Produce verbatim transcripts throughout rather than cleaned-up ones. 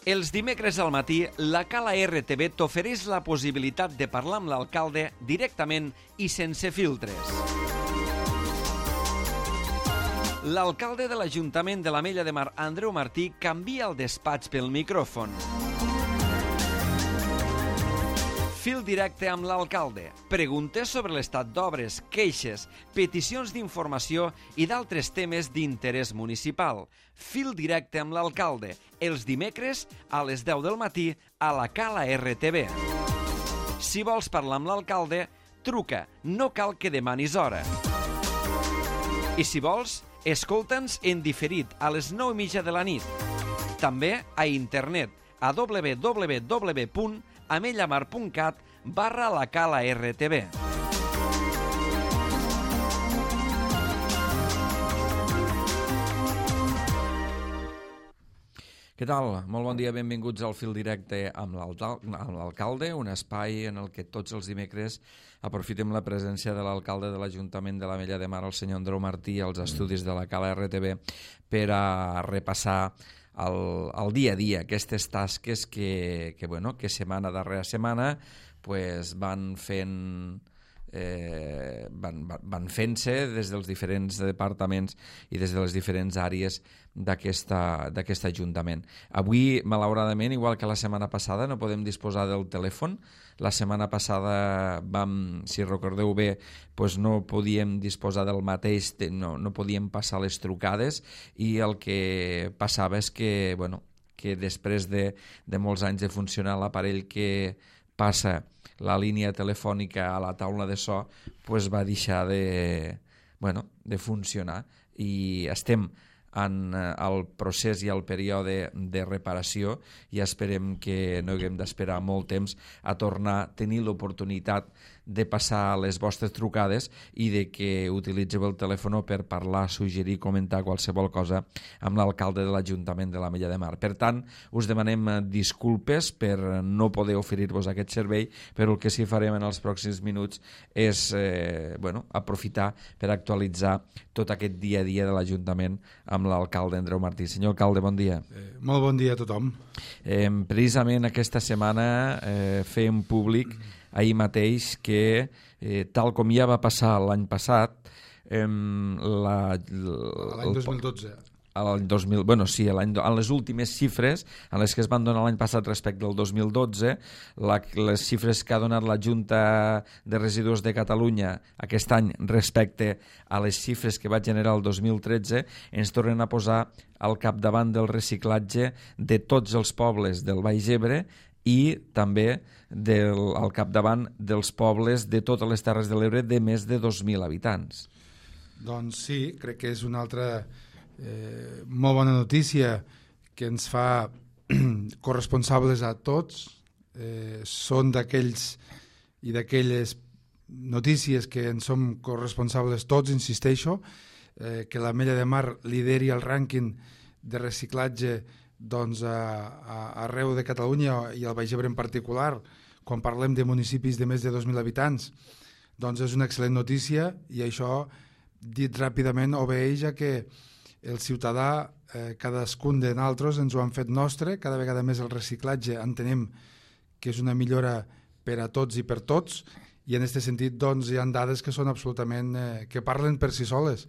Els dimecres al matí, la Cala R T V t'ofereix la possibilitat de parlar amb l'alcalde directament i sense filtres. L'alcalde de l'Ajuntament de l'Ametlla de Mar, Andreu Martí, canvia el despatx pel micròfon. Fil directe amb l'alcalde. Preguntes sobre l'estat d'obres, queixes, peticions d'informació i d'altres temes d'interès municipal. Fil directe amb l'alcalde. Els dimecres a les deu del matí a la Cala R T V. Si vols parlar amb l'alcalde, truca. No cal que demanis hora. I si vols, escolta'ns en diferit a les nou i mitja de la nit. També a internet a w w w punt amellamar punt cat barra la Cala R T V. Què tal? Molt bon dia, benvinguts al Fil Directe amb l'alcalde, un espai en el que tots els dimecres aprofitem la presència de l'alcalde de l'Ajuntament de l'Ametlla de Mar, el senyor Andreu Martí, als estudis de la Cala R T V, per a repassar el, el dia a dia, aquestes tasques que, que, bueno, que setmana darrere setmana pues, van fent... Eh, van, van fent-se des dels diferents departaments i des de les diferents àrees d'aquest Ajuntament. Avui, malauradament, igual que la setmana passada, no podem disposar del telèfon. La setmana passada vam, si recordeu bé, pues no podíem disposar del mateix, no, no podíem passar les trucades i el que passava és que, bueno, que després de, de molts anys de funcionar l'aparell que passa la línia telefònica a la taula de so pues va deixar de, bueno, de funcionar i estem en el procés i el període de reparació i esperem que no haguem d'esperar molt temps a tornar a tenir l'oportunitat de passar les vostres trucades i de que utilitzeu el telèfon per parlar, suggerir, comentar qualsevol cosa amb l'alcalde de l'Ajuntament de l'Ametlla de Mar. Per tant, us demanem disculpes per no poder oferir-vos aquest servei, però el que sí farem en els pròxims minuts és eh, bueno, aprofitar per actualitzar tot aquest dia a dia de l'Ajuntament amb l'alcalde Andreu Martí. Senyor alcalde, bon dia. Eh, molt bon dia a tothom. Eh, precisament aquesta setmana eh, fèiem públic ahir mateix que, eh, tal com ja va passar l'any passat, eh, la, l'any dos mil dotze. L'any dos mil, bueno, sí, l'any, en les últimes xifres, en les que es van donar l'any passat respecte al dos mil dotze, la, les xifres que ha donat la Junta de Residus de Catalunya aquest any respecte a les xifres que va generar el dos mil tretze, ens tornen a posar al capdavant del reciclatge de tots els pobles del Baix Ebre i també del, al capdavant dels pobles de totes les Terres de l'Ebre de més de dos mil habitants. Doncs sí, crec que és una altra eh, molt bona notícia que ens fa corresponsables a tots. Eh, són d'aquells i d'aquelles notícies que en som corresponsables tots, insisteixo, eh, que l'Ametlla de Mar lideri el rànquing de reciclatge doncs, a, a, arreu de Catalunya i al Baix Ebre en particular, quan parlem de municipis de més de dos mil habitants, doncs és una excel·lent notícia i això, dit ràpidament, obeeix a que el ciutadà, eh, cadascun de nosaltres, ens ho han fet nostre, cada vegada més el reciclatge entenem que és una millora per a tots i per tots, i en aquest sentit doncs, hi ha dades que són absolutament, eh, que parlen per si soles.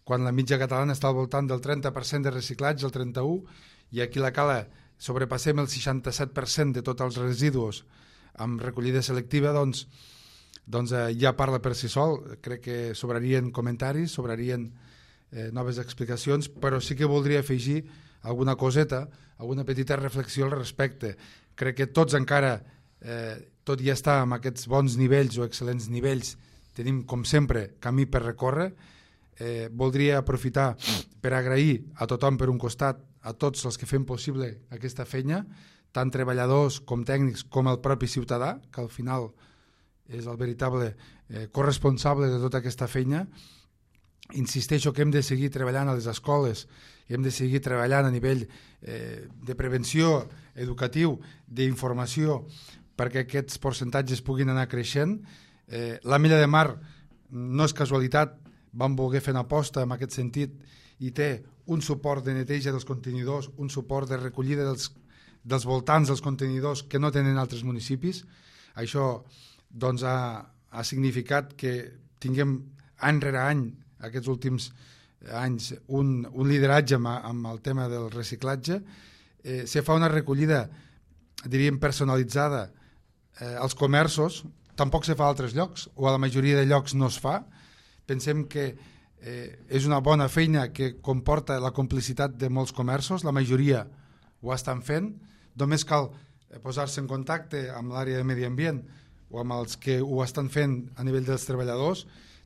Quan la mitja catalana està al voltant del trenta per cent de reciclatge, el trenta u per cent, i aquí a la Cala sobrepassem el seixanta-set per cent de tots els residus amb recollida selectiva, doncs, doncs eh, ja parla per si sol. Crec que sobrarien comentaris, sobrarien eh, noves explicacions, però sí que voldria afegir alguna coseta, alguna petita reflexió al respecte. Crec que tots encara, eh, tot i estar amb aquests bons nivells o excel·lents nivells, tenim, com sempre, camí per recórrer. Eh, voldria aprofitar per agrair a tothom per un costat, a tots els que fem possible aquesta feina, tant treballadors com tècnics com el propi ciutadà, que al final és el veritable eh, corresponsable de tota aquesta feina. Insisteixo que hem de seguir treballant a les escoles, hem de seguir treballant a nivell eh, de prevenció, educatiu, d'informació, perquè aquests percentatges puguin anar creixent. Eh, L'Ametlla de Mar no és casualitat, vam voler fer una aposta en aquest sentit i té un suport de neteja dels contenidors, un suport de recollida dels, dels voltants dels contenidors que no tenen altres municipis. Això doncs, ha, ha significat que tinguem any rere any, aquests últims anys, un, un lideratge amb, amb el tema del reciclatge. Eh, se fa una recollida, diríem, personalitzada eh, als comerços, tampoc se fa a altres llocs, o a la majoria de llocs no es fa. Pensem que eh, és una bona feina que comporta la complicitat de molts comerços, la majoria ho estan fent, només cal posar-se en contacte amb l'àrea de medi ambient o amb els que ho estan fent a nivell dels treballadors.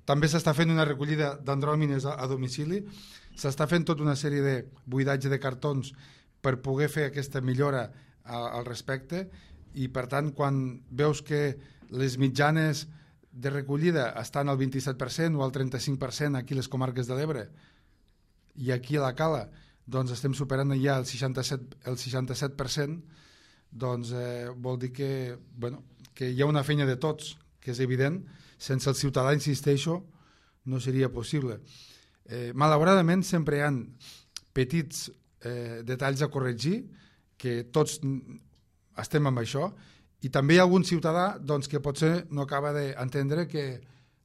També s'està fent una recollida d'andròmines a, a domicili, s'està fent tota una sèrie de buidatge de cartons per poder fer aquesta millora a, al respecte, i per tant quan veus que les mitjanes de recollida estan al vint-i-set per cent o al trenta-cinc per cent aquí a les comarques de l'Ebre, i aquí a la Cala doncs estem superant ja el seixanta-set, el seixanta-set per cent, doncs eh, vol dir que, bueno, que hi ha una feina de tots, que és evident. Sense el ciutadà, insisteixo, no seria possible. Eh, malauradament sempre hi ha petits eh, detalls a corregir, que tots estem amb això, i també hi ha algun ciutadà doncs, que potser no acaba d'entendre que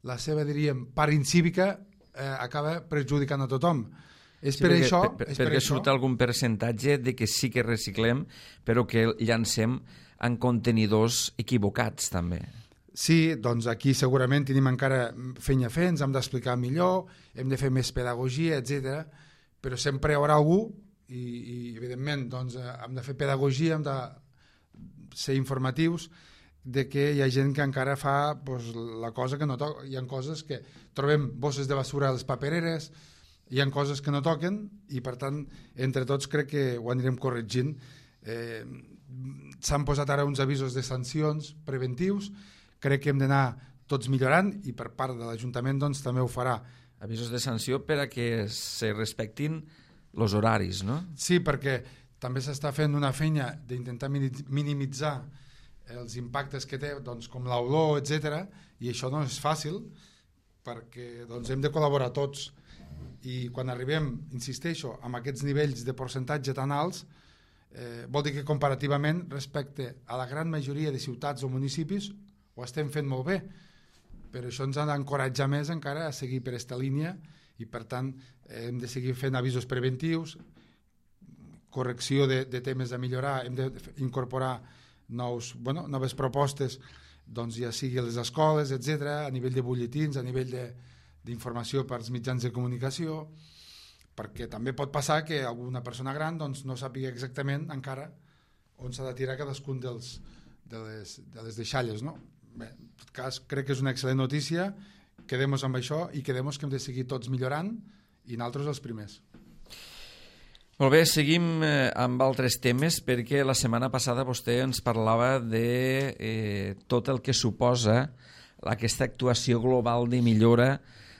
la seva, diríem, part incívica eh, acaba perjudicant a tothom. És sí, per perquè, això... Per, és perquè per surt això... algun percentatge de que sí que reciclem, però que llancem en contenidors equivocats, també. Sí, doncs aquí segurament tenim encara feina a fer, ens hem d'explicar millor, hem de fer més pedagogia, etcètera. Però sempre hi haurà algú, i, i evidentment doncs, hem de fer pedagogia, hem de ser informatius, de que hi ha gent que encara fa doncs, la cosa que no toca. Hi ha coses que trobem bosses de basura a les papereres, hi ha coses que no toquen, i per tant, entre tots crec que ho anirem corregint. Eh, s'han posat ara uns avisos de sancions preventius, crec que hem d'anar tots millorant, i per part de l'Ajuntament doncs, també ho farà. Avisos de sanció per a que se respectin els horaris, no? Sí, perquè també s'està fent una feina d'intentar minimitzar els impactes que té, doncs, com l'olor, etcètera, i això no és fàcil, perquè doncs, hem de col·laborar tots. I quan arribem, insisteixo, amb aquests nivells de percentatge tan alts, eh, vol dir que comparativament respecte a la gran majoria de ciutats o municipis ho estem fent molt bé, però això ens ha d'encoratjar més encara a seguir per aquesta línia, i per tant hem de seguir fent avisos preventius, correcció de, de temes a millorar, hem d'incorporar nous, bueno, noves propostes, doncs ja sigui a les escoles, etcètera, a nivell de butlletins, a nivell d'informació per als mitjans de comunicació, perquè també pot passar que alguna persona gran doncs, no sàpiga exactament encara on s'ha de tirar cadascun dels, de, les, de les deixalles, no? Bé, en tot cas, crec que és una excel·lent notícia, quedem-nos amb això i quedem-nos que hem de seguir tots millorant, i nosaltres els primers. Molt bé, seguim eh, amb altres temes, perquè la setmana passada vostè ens parlava de eh, tot el que suposa aquesta actuació global de millora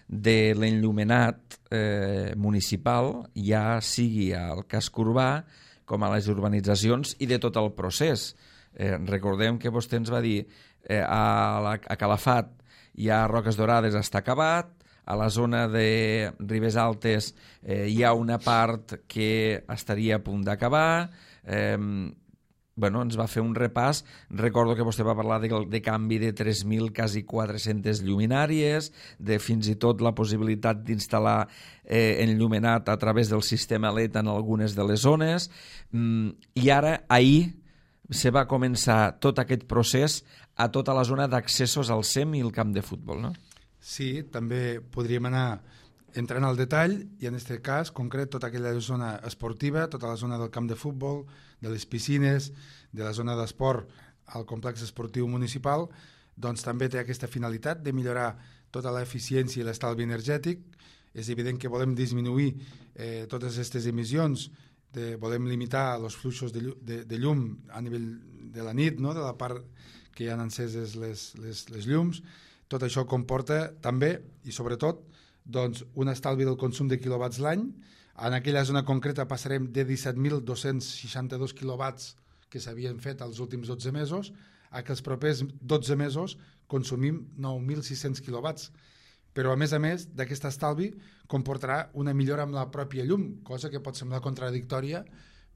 de l'enllumenat eh, municipal, ja sigui al casc urbà com a les urbanitzacions, i de tot el procés. Eh, recordem que vostè ens va dir eh, a, la, a Calafat hi ha Roques Dorades, està acabat, a la zona de Ribes Altes eh, hi ha una part que estaria a punt d'acabar, eh, bueno, ens va fer un repàs. Recordo que vostè va parlar de, de canvi de tres mil, quasi quatre-centes lluminàries, de fins i tot la possibilitat d'instal·lar eh, enllumenat a través del sistema L E D en algunes de les zones, mm, i ara, ahir, se va començar tot aquest procés a tota la zona d'accessos al S E M i el camp de futbol, no? Sí, també podríem anar entrant al detall, i en aquest cas concret tota aquella zona esportiva, tota la zona del camp de futbol, de les piscines, de la zona d'esport al complex esportiu municipal, doncs també té aquesta finalitat de millorar tota l'eficiència i l'estalvi energètic. És evident que volem disminuir eh, totes aquestes emissions, de, volem limitar els fluxos de, llum, de, de llum a nivell de la nit, no? De la part que hi ha enceses les, les, les llums. Tot això comporta també, i sobretot, doncs, un estalvi del consum de quilowatts l'any. En aquella zona concreta passarem de disset mil dos-cents seixanta-dos quilowatts que s'havien fet els últims dotze mesos a que els propers dotze mesos consumim nou mil sis-cents quilowatts. Però, a més a més, d'aquest estalvi comportarà una millora amb la pròpia llum, cosa que pot semblar contradictòria,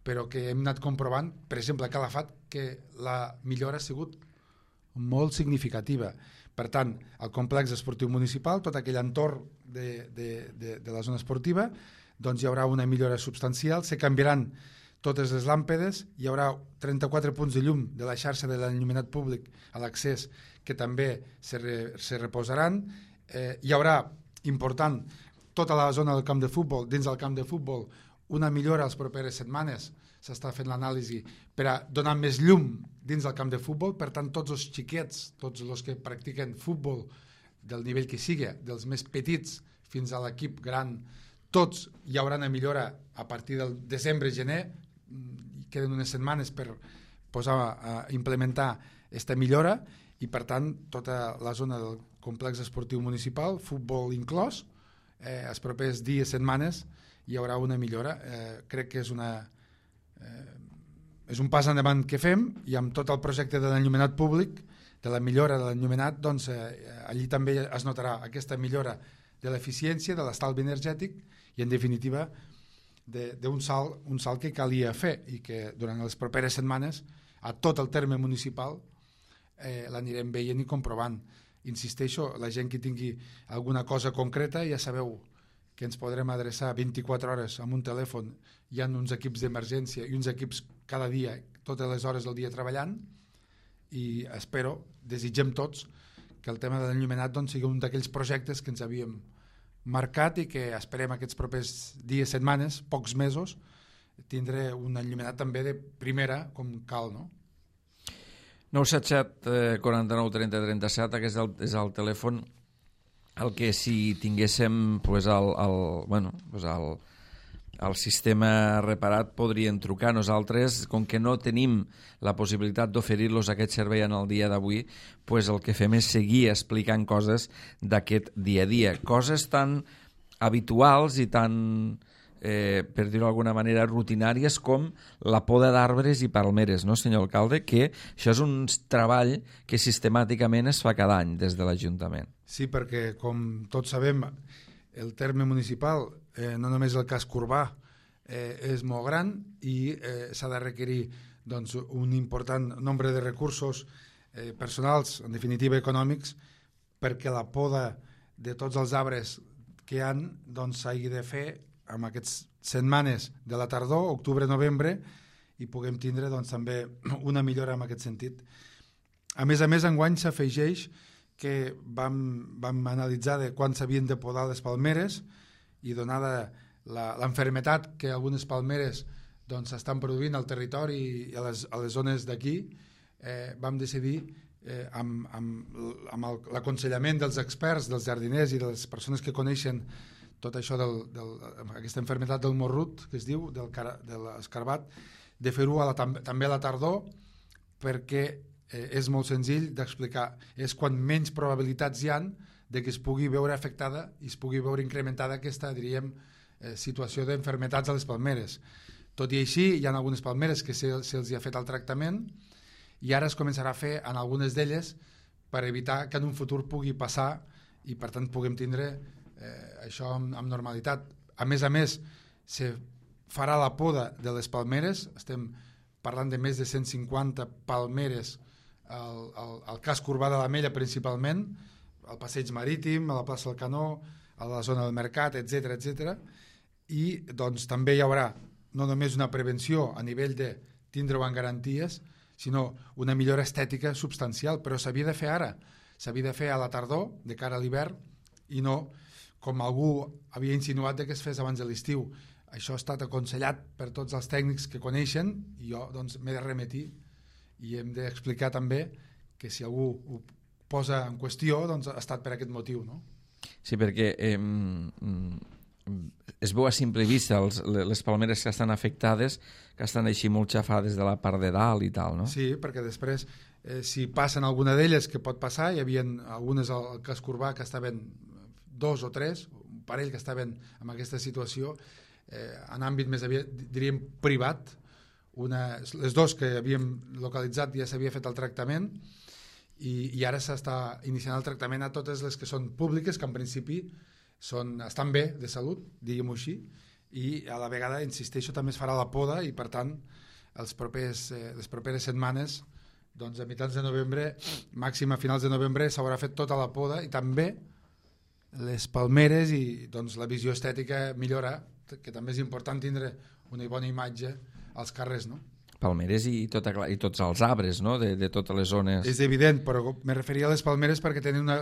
però que hem anat comprovant, per exemple, a Calafat, que la millora ha sigut molt significativa. Per tant, el complex esportiu municipal, tot aquell entorn de, de, de, de la zona esportiva, doncs hi haurà una millora substancial, se canviaran totes les làmpedes, hi haurà trenta-quatre punts de llum de la xarxa de l'enllumenat públic a l'accés que també se, re, se reposaran, eh, hi haurà, important, tota la zona del camp de futbol, dins del camp de futbol, una millora les properes setmanes, s'està fent l'anàlisi per a donar més llum dins del camp de futbol, per tant tots els xiquets, tots els que practiquen futbol del nivell que sigui, dels més petits fins a l'equip gran, tots hi haurà una millora a partir del desembre-gener, queden unes setmanes per posar a implementar aquesta millora i per tant tota la zona del complex esportiu municipal, futbol inclòs, eh, els propers dies, setmanes hi haurà una millora. Eh, crec que és una eh, és un pas endavant que fem i amb tot el projecte de l'enllumenat públic, de la millora de l'enllumenat, doncs eh, allí també es notarà aquesta millora de l'eficiència, de l'estalvi energètic i en definitiva d'un salt, un salt que calia fer i que durant les properes setmanes a tot el terme municipal eh, l'anirem veient i comprovant. Insisteixo, la gent que tingui alguna cosa concreta ja sabeu que ens podrem adreçar vint-i-quatre hores amb un telèfon. Hi ha uns equips d'emergència i uns equips cada dia, totes les hores del dia treballant i espero, desitgem tots que el tema de l'enllumenat doncs, sigui un d'aquells projectes que ens havíem marcat i que esperem aquests propers dies, setmanes, pocs mesos, tindre un enllumenat també de primera com cal, no? nou set set quaranta-nou trenta trenta-set, aquest és el, és el telèfon el que si tinguéssim pues, el, el, bueno, pues el, el sistema reparat podrien trucar. Nosaltres, com que no tenim la possibilitat d'oferir-los aquest servei en el dia d'avui, pues el que fem és seguir explicant coses d'aquest dia a dia, coses tan habituals i tan, eh, per dir-ho d'alguna manera, rutinàries com la poda d'arbres i palmeres, no, senyor alcalde? Que això és un treball que sistemàticament es fa cada any des de l'Ajuntament. Sí, perquè, com tots sabem, el terme municipal, eh, no només el casc urbà, eh, és molt gran i eh, s'ha de requerir doncs, un important nombre de recursos eh, personals, en definitiva econòmics, perquè la poda de tots els arbres que hi ha doncs, s'hagi de fer en aquestes setmanes de la tardor, octubre-novembre, i puguem tindre doncs, també una millora en aquest sentit. A més a més, enguany s'afegeix que vam, vam analitzar de quan s'havien de podar les palmeres i donada l'enfermetat que algunes palmeres doncs, estan produint al territori i a les, a les zones d'aquí, eh, vam decidir eh, amb, amb, amb l'aconsellament dels experts, dels jardiners i de les persones que coneixen tot això del, del, aquesta enfermetat del morrut, que es diu, del, de l'escarbat, de fer-ho també a la tardor perquè eh, és molt senzill d'explicar. És quan menys probabilitats hi han de que es pugui veure afectada i es pugui veure incrementada aquesta, diríem, eh, situació d'enfermetats a les palmeres. Tot i així, hi ha algunes palmeres que se'ls se ha fet el tractament i ara es començarà a fer en algunes d'elles per evitar que en un futur pugui passar i per tant puguem tindre eh, això amb, amb normalitat. A més a més, se farà la poda de les palmeres, estem parlant de més de cent cinquanta palmeres al, al, al casc urbà de l'Ametlla principalment, al passeig marítim, a la plaça del Canó, a la zona del Mercat, etcètera, etcètera. I doncs també hi haurà no només una prevenció a nivell de tindre-ho en garanties, sinó una millora estètica substancial, però s'havia de fer ara, s'havia de fer a la tardor, de cara a l'hivern, i no com algú havia insinuat que es fes abans de l'estiu. Això ha estat aconsellat per tots els tècnics que coneixen i jo doncs, m'he de remetir i hem d'explicar també que si algú ho posa en qüestió doncs, ha estat per aquest motiu. No? Sí, perquè eh, es veu a simple vista els, les palmeres que estan afectades, que estan així molt xafades de la part de dalt i tal, no? Sí, perquè després, eh, si passen alguna d'elles, que pot passar, hi havia algunes al casc urbà que estaven dos o tres, un parell que estaven en aquesta situació, eh, en àmbit més aviat, diríem, privat. Una, les dos que havíem localitzat ja s'havia fet el tractament i, i ara s'està iniciant el tractament a totes les que són públiques, que en principi són, estan bé de salut, diguem-ho així, i a la vegada, insisteixo, també es farà la poda i per tant els propers, eh, les properes setmanes, doncs a mitjans de novembre, màxim a finals de novembre, s'haurà fet tota la poda i també les palmeres i doncs, la visió estètica millora, que també és important tindre una bona imatge als carrers, no? Palmeres i, tota, i tots els arbres, no?, de, de totes les zones. És evident, però me referia a les palmeres perquè tenen una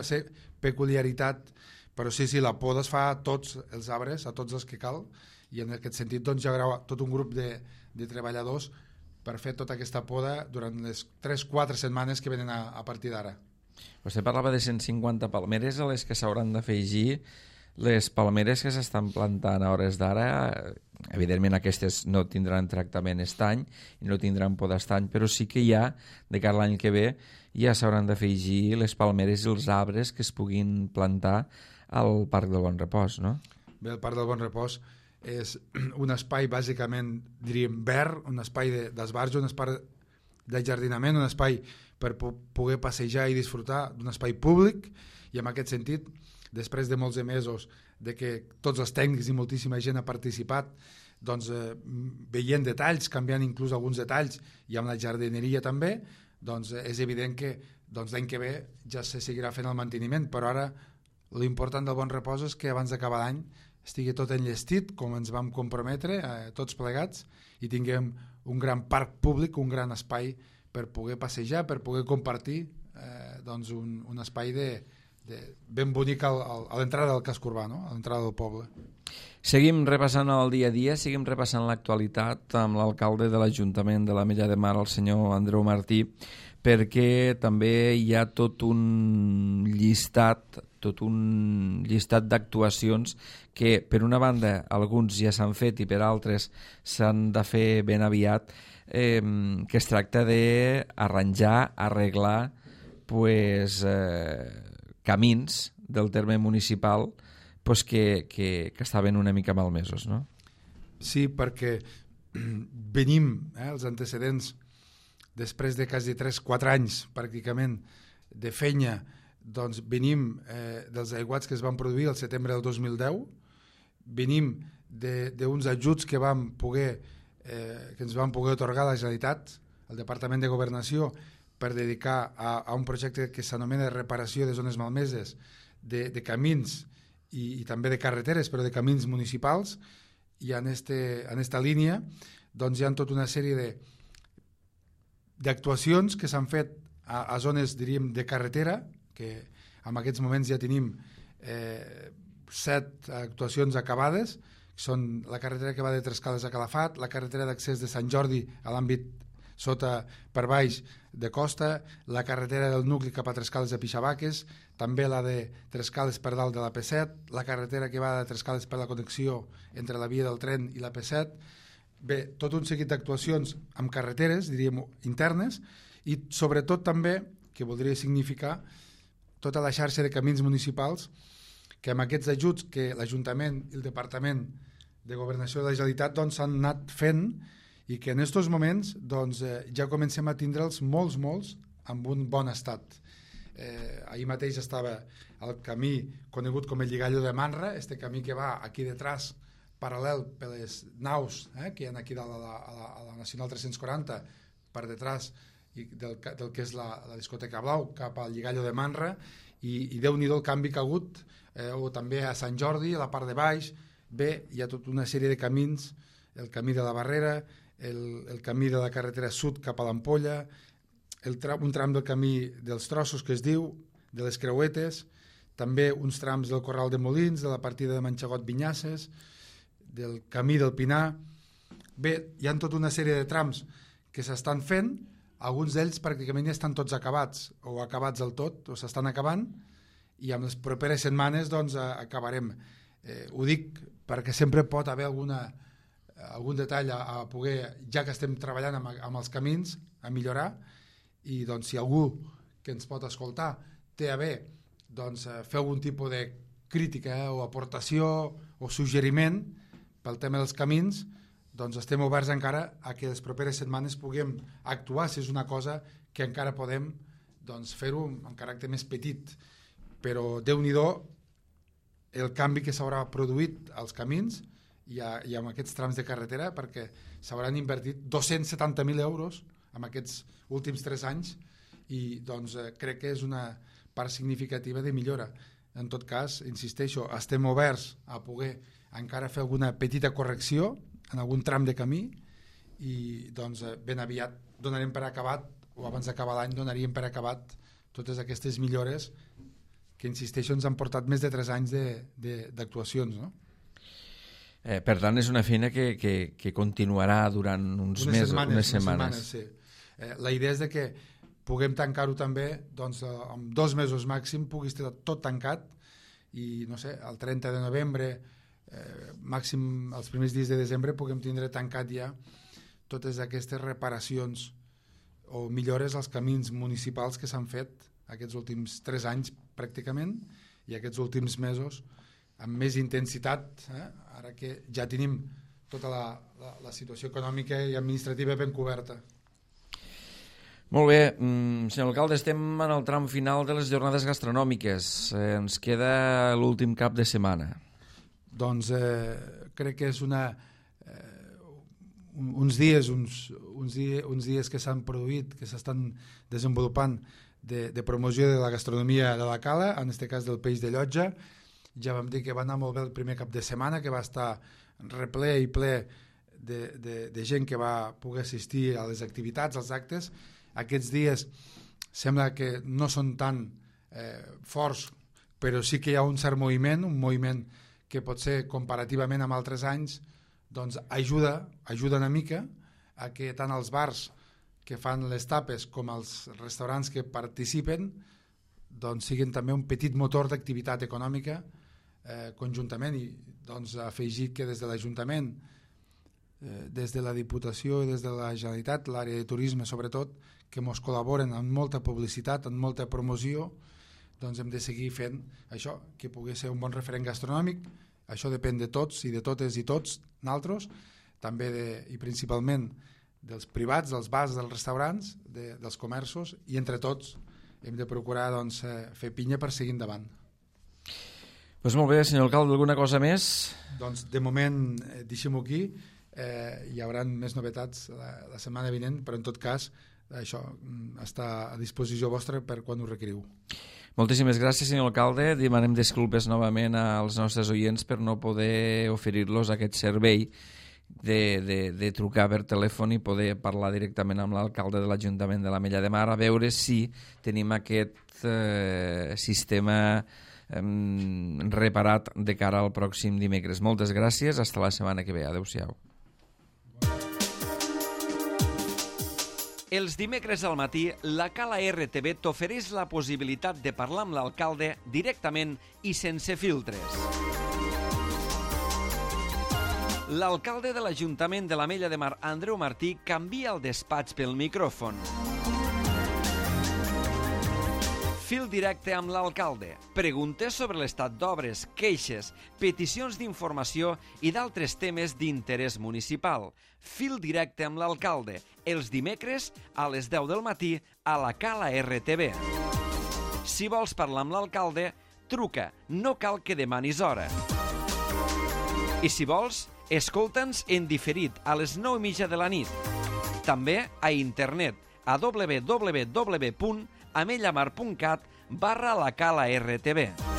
peculiaritat, però sí, sí, la poda es fa a tots els arbres, a tots els que cal, i en aquest sentit doncs, hi haurà tot un grup de, de treballadors per fer tota aquesta poda durant les tres quatre setmanes que venen a, a partir d'ara. Vostè parlava de cent cinquanta palmeres a les que s'hauran d'afegir les palmeres que s'estan plantant a hores d'ara. Evidentment aquestes no tindran tractament estany i no tindran poda estany, però sí que ja, de cara a l'any que ve, ja s'hauran d'afegir les palmeres i els arbres que es puguin plantar al Parc del Bon Repòs, no? Bé, el Parc del Bon Repòs és un espai bàsicament, diríem, verd, un espai d'esbarjo, un espai d'ajardinament, un espai per poder passejar i disfrutar d'un espai públic, i en aquest sentit, després de molts de mesos de que tots els tècnics i moltíssima gent ha participat, doncs, eh, veient detalls, canviant inclús alguns detalls, i amb la jardineria també, doncs és evident que doncs, l'any que ve ja se seguirà fent el manteniment, però ara l'important del Bon Repòs és que abans d'acabar l'any estigui tot enllestit, com ens vam comprometre, eh, tots plegats, i tinguem un gran parc públic, un gran espai per poder passejar, per poder compartir eh, doncs un, un espai de, de, ben bonic al, al, a l'entrada del casc urbà, no? A l'entrada del poble. Seguim repassant el dia a dia, seguim repassant l'actualitat amb l'alcalde de l'Ajuntament de l'Ametlla de Mar, el senyor Andreu Martí, perquè també hi ha tot un llistat, tot un llistat d'actuacions que, per una banda, alguns ja s'han fet i per altres s'han de fer ben aviat, eh, que es tracta d'arranjar, arreglar pues, eh, camins del terme municipal pues, que, que, que estaven una mica malmesos, no? Sí, perquè venim, eh, els antecedents, després de quasi tres quatre anys pràcticament de feina, doncs venim eh, dels aiguats que es van produir el setembre del dos mil deu, venim d'uns ajuts que vam poder eh, que ens van poder atorgar la Generalitat, el Departament de Governació, per dedicar a, a un projecte que s'anomena reparació de zones malmeses, de, de camins i, i també de carreteres, però de camins municipals, i en, este, en esta línia doncs hi ha tota una sèrie de d'actuacions que s'han fet a, a zones, diríem, de carretera, que en aquests moments ja tenim eh, set actuacions acabades, que són la carretera que va de Trescales a Calafat, la carretera d'accés de Sant Jordi a l'àmbit sota per baix de Costa, la carretera del nucli cap a Trescales a Pixabaques, també la de Trescales per dalt de la P set, la carretera que va de Trescales per la connexió entre la via del tren i la P set. Bé, tot un seguit d'actuacions amb carreteres, diríem, internes, i sobretot també, que voldria significar, tota la xarxa de camins municipals que amb aquests ajuts que l'Ajuntament i el Departament de Governació de la Generalitat doncs, s'han anat fent i que en aquests moments doncs, eh, ja comencem a tindre'ls molts, molts amb un bon estat. Eh, ahir mateix estava el camí conegut com el Lligallo de Manra, este camí que va aquí detrás paral·lel per les naus eh, que hi ha aquí dalt a la, a la, a la Nacional tres-cents quaranta per detrás i del, del que és la, la discoteca Blau cap al Lligallo de Manra i, i Déu-n'hi-do el canvi que ha hagut eh, o també a Sant Jordi, a la part de baix. Bé, hi ha tota una sèrie de camins, el camí de la Barrera, el, el camí de la carretera sud cap a l'Ampolla, el tram, un tram del camí dels Trossos que es diu, de les Creuetes, també uns trams del Corral de Molins, de la partida de Manxagot-Vinyasses, del camí del Pinar. Bé, hi ha tota una sèrie de trams que s'estan fent, alguns d'ells pràcticament ja estan tots acabats o acabats del tot, o s'estan acabant, i amb les properes setmanes doncs acabarem. Eh, ho dic perquè sempre pot haver alguna, algun detall a, a poder, ja que estem treballant amb, amb els camins, a millorar, i doncs si algú que ens pot escoltar té a bé doncs, fer algun tipus de crítica eh, o aportació o suggeriment pel tema dels camins, doncs estem oberts encara a que les properes setmanes puguem actuar si és una cosa que encara podem doncs, fer-ho en caràcter més petit. Però Déu-n'hi-do el canvi que s'haurà produït als camins i, a, i amb aquests trams de carretera, perquè s'hauran invertit dos-cents setanta mil euros en aquests últims tres anys i doncs, eh, crec que és una part significativa de millora. En tot cas, insisteixo, estem oberts a poder encara fer alguna petita correcció en algun tram de camí i doncs, ben aviat donarem per acabat, o abans d'acabar l'any donaríem per acabat totes aquestes millores que, insisteixo, ens han portat més de tres anys d'actuacions, no? Eh, per tant, és una feina que, que, que continuarà durant uns unes mesos, setmanes, unes setmanes. Unes setmanes sí. eh, la idea és de que puguem tancar-ho també, doncs, en dos mesos màxim pugui estar tot tancat i, no sé, el trenta de novembre, eh, màxim els primers dies de desembre, puguem tindre tancat ja totes aquestes reparacions o millores als camins municipals que s'han fet aquests últims tres anys pràcticament i aquests últims mesos amb més intensitat, eh? Ara que ja tenim tota la, la, la situació econòmica i administrativa ben coberta. Molt bé, mm, senyor alcalde, estem en el tram final de les jornades gastronòmiques. Eh, ens queda l'últim cap de setmana. Doncs eh, crec que és una, eh, uns dies uns, uns, dies, uns dies que s'han produït, que s'estan desenvolupant de, de promoció de la gastronomia de la Cala, en aquest cas del peix de llotja. Ja vam dir que va anar molt bé el primer cap de setmana, que va estar reple i ple de, de, de gent que va poder assistir a les activitats, als actes. Aquests dies sembla que no són tan eh, forts, però sí que hi ha un cert moviment, un moviment que pot ser comparativament amb altres anys, doncs ajuda, ajuda una mica a que tant els bars que fan les tapes com els restaurants que participen doncs siguin també un petit motor d'activitat econòmica eh, conjuntament i doncs afegir que des de l'Ajuntament, eh, des de la Diputació i des de la Generalitat, l'àrea de turisme sobretot, que ens col·laboren amb molta publicitat, amb molta promoció, doncs hem de seguir fent això, que pugui ser un bon referent gastronòmic. Això depèn de tots i de totes i tots naltros, també de, i principalment dels privats, dels bars, dels restaurants, de, dels comerços, i entre tots hem de procurar doncs, fer pinya per seguir endavant. Pues molt bé, senyor alcalde, alguna cosa més? Doncs de moment eh, deixem-ho aquí, eh, hi haurà més novetats la, la setmana vinent, però en tot cas això està a disposició vostra per quan ho requeriu. Moltíssimes gràcies, senyor alcalde. Demanem disculpes novament als nostres oients per no poder oferir-los aquest servei de, de, de trucar per telèfon i poder parlar directament amb l'alcalde de l'Ajuntament de l'Ametlla de Mar a veure si tenim aquest eh, sistema eh, reparat de cara al pròxim dimecres. Moltes gràcies, fins la setmana que ve. Adéu-siau. Els dimecres al matí, la Cala R T V t'ofereix la possibilitat de parlar amb l'alcalde directament i sense filtres. L'alcalde de l'Ajuntament de l'Ametlla de Mar, Andreu Martí, canvia el despatx pel micròfon. Fil directe amb l'alcalde. Preguntes sobre l'estat d'obres, queixes, peticions d'informació i d'altres temes d'interès municipal. Fil directe amb l'alcalde. Els dimecres a les deu del matí a la Cala R T V. Si vols parlar amb l'alcalde, truca. No cal que demanis hora. I si vols, escolta'ns en diferit a les nou i mitja de la nit. També a internet a w w w punt amellamar punt cat barra la Cala R T V.